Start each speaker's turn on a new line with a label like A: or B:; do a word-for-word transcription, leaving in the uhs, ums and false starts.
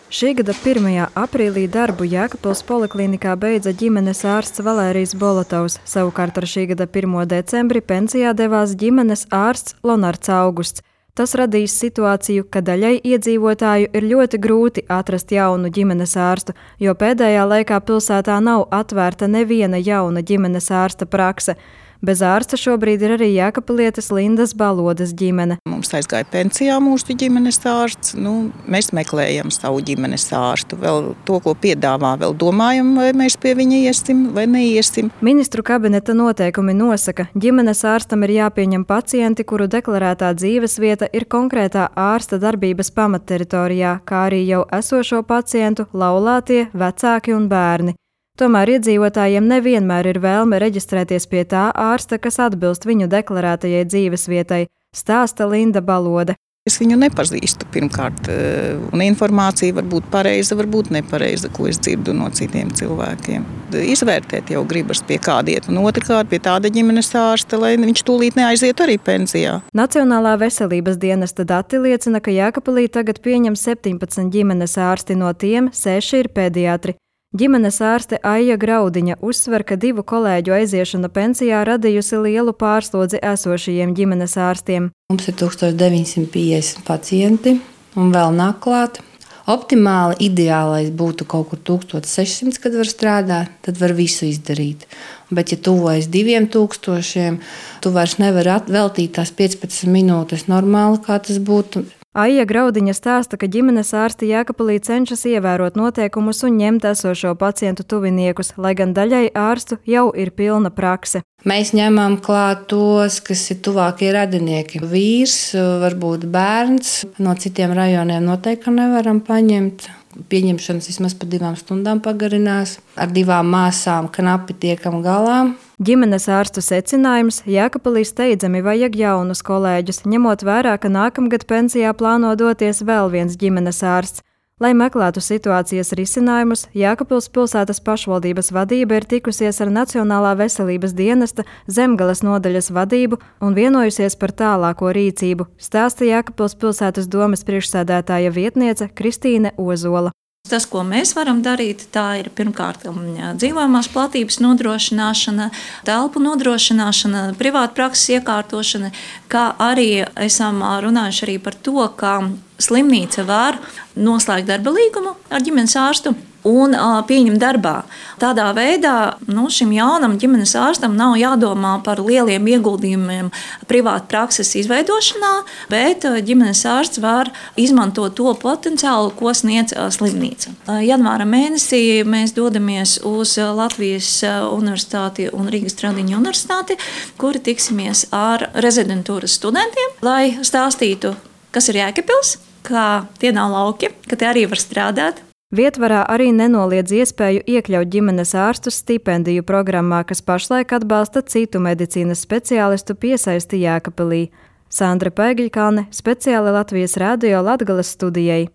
A: Šī gada pirmajā aprīlī darbu Jēkabpils poliklinikā beidza ģimenes ārsts Valērijs Bolotovs. Savukārt ar šī gada pirmo decembri pensijā devās ģimenes ārsts Lonards Augusts. Tas radīs situāciju, ka daļai iedzīvotāju ir ļoti grūti atrast jaunu ģimenes ārstu, jo pēdējā laikā pilsētā nav atvērta neviena jauna ģimenes ārsta prakse. Bez ārsta šobrīd ir arī jēkabpilietes Lindas Balodes ģimene.
B: Mums aizgāja pensijā mūsu ģimenes ārsts. Nu, mēs meklējam savu ģimenes ārstu. Vēl to, ko piedāvā, vēl domājam, vai mēs pie viņa iesim vai neiesim.
A: Ministru kabineta noteikumi nosaka, ģimenes ārstam ir jāpieņem pacienti, kuru deklarētā dzīvesvieta ir konkrētā ārsta darbības pamatteritorijā, kā arī jau esošo pacientu, laulātie, vecāki un bērni. Tomēr iedzīvotājiem nevienmēr ir vēlme reģistrēties pie tā ārsta, kas atbilst viņu deklarētajai dzīvesvietai, stāsta Linda Balode.
B: Es viņu nepazīstu pirmkārt, un informācija var būt pareiza, var būt nepareiza, ko es dzirdu no citiem cilvēkiem. Izvērtēt jau gribas pie kāda iet, un otrkārt pie tāda ģimenes ārsta, lai viņš tūlīt neaiziet arī pensijā.
A: Nacionālā veselības dienesta dati liecina, ka Jēkabpilī tagad pieņem septiņpadsmit ģimenes ārsti, no tiem seši ir pediatri. Ģimenes ārste Aija Graudiņa uzsver, ka divu kolēģu aiziešana pensijā radījusi lielu pārslodzi esošajiem ģimenes ārstiem.
C: Mums ir tūkstoš deviņsimt piecdesmit pacienti un vēl nāk klāt. Optimāli ideālais būtu kaut kur tūkstoš sešsimt, kad var strādāt, tad var visu izdarīt. Bet, ja tuvojas diviem tūkstošiem, tu vairs nevari veltīt tās piecpadsmit minūtes normāli, kā tas būtu.
A: Aija Graudiņa stāsta, ka ģimenes ārsti Jēkabpilī cenšas ievērot noteikumus un ņemt esošo pacientu tuviniekus, lai gan daļai ārstu jau ir pilna prakse.
C: Mēs ņemam klāt tos, kas ir tuvākie radinieki. Vīrs, varbūt bērns, no citiem rajoniem noteikti nevaram paņemt. Pieņemšanas vismaz pa divām stundām pagarinās. Ar divām māsām knapi tiekam galā.
A: Ģimenes ārstu secinājums – Jēkabpilī steidzami vajag jaunus kolēģus, ņemot vērā, ka nākamgad pensijā plāno doties vēl viens ģimenes ārsts. Lai meklētu situācijas risinājumus, Jēkabpils pilsētas pašvaldības vadība ir tikusies ar Nacionālā veselības dienesta Zemgales nodaļas vadību un vienojusies par tālāko rīcību, stāsta Jēkabpils pilsētas domes priekšsēdētāja vietniece Kristīne Ozola.
D: Tas, ko mēs varam darīt, tā ir pirmkārt dzīvojamās platības nodrošināšana, telpu nodrošināšana, privāta prakses iekārtošana, kā arī esam runājuši arī par to, ka slimnīca var noslēgt darba līgumu ar ģimenes ārstu un pieņemt darbā. Tādā veidā nu, šim jaunam ģimenes ārstam nav jādomā par lieliem ieguldījumiem privāta prakses izveidošanā, bet ģimenes ārsts var izmantot to potenciālu, ko sniedz slimnīca. Janvāra mēnesī mēs dodamies uz Latvijas Universitāti un Rīgas Tradiņu universitāti, kuri tiksimies ar rezidentūras studentiem, lai stāstītu, kas ir Jēkabpils, ka tie nav lauki, ka tie arī var strādāt.
A: Vietvarā arī nenoliedz iespēju iekļaut ģimenes ārstus stipendiju programmā, kas pašlaik atbalsta citu medicīnas speciālistu piesaisti Jēkabpilī. Sandra Pēgiļkalne, speciāli Latvijas radio Latgales studijai.